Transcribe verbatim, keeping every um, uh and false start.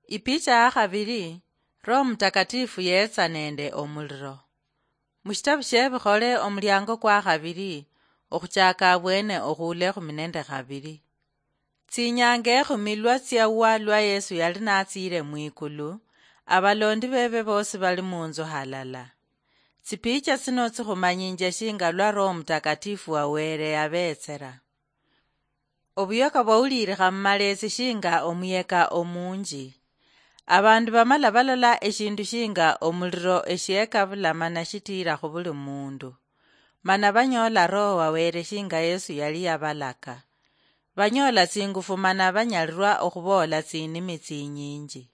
Ipicha ya khabili, Roho Mutakatifu yeetsa nende omuliro. Mushitabu shie Bikhole, omuliango kwa khabili, okhuchaka abwene okhuula ekhumi nende khabili. Tsinyanga ekhumi lwa tsiawa lwa Yesu yali natsiile mwikulu, abalondi bebe bosi bali munzu halala. Tsipicha tsino tsikhumanyinje shinga lwa Roho Mutakatifu wa Wele yabeetsera. Obuyoka bwauliilikha mumalesi shinga omuyeka omunji. Abandu bamala balola eshindu shinga omuliro eshiekabula mana shitiira khubuli mundu. Mana banyoola Roho wa Wele shinga Yesu yali yabalaka. Banyoola tsingufu mana banyalirwa okhuboola tsinimi tsinyinji.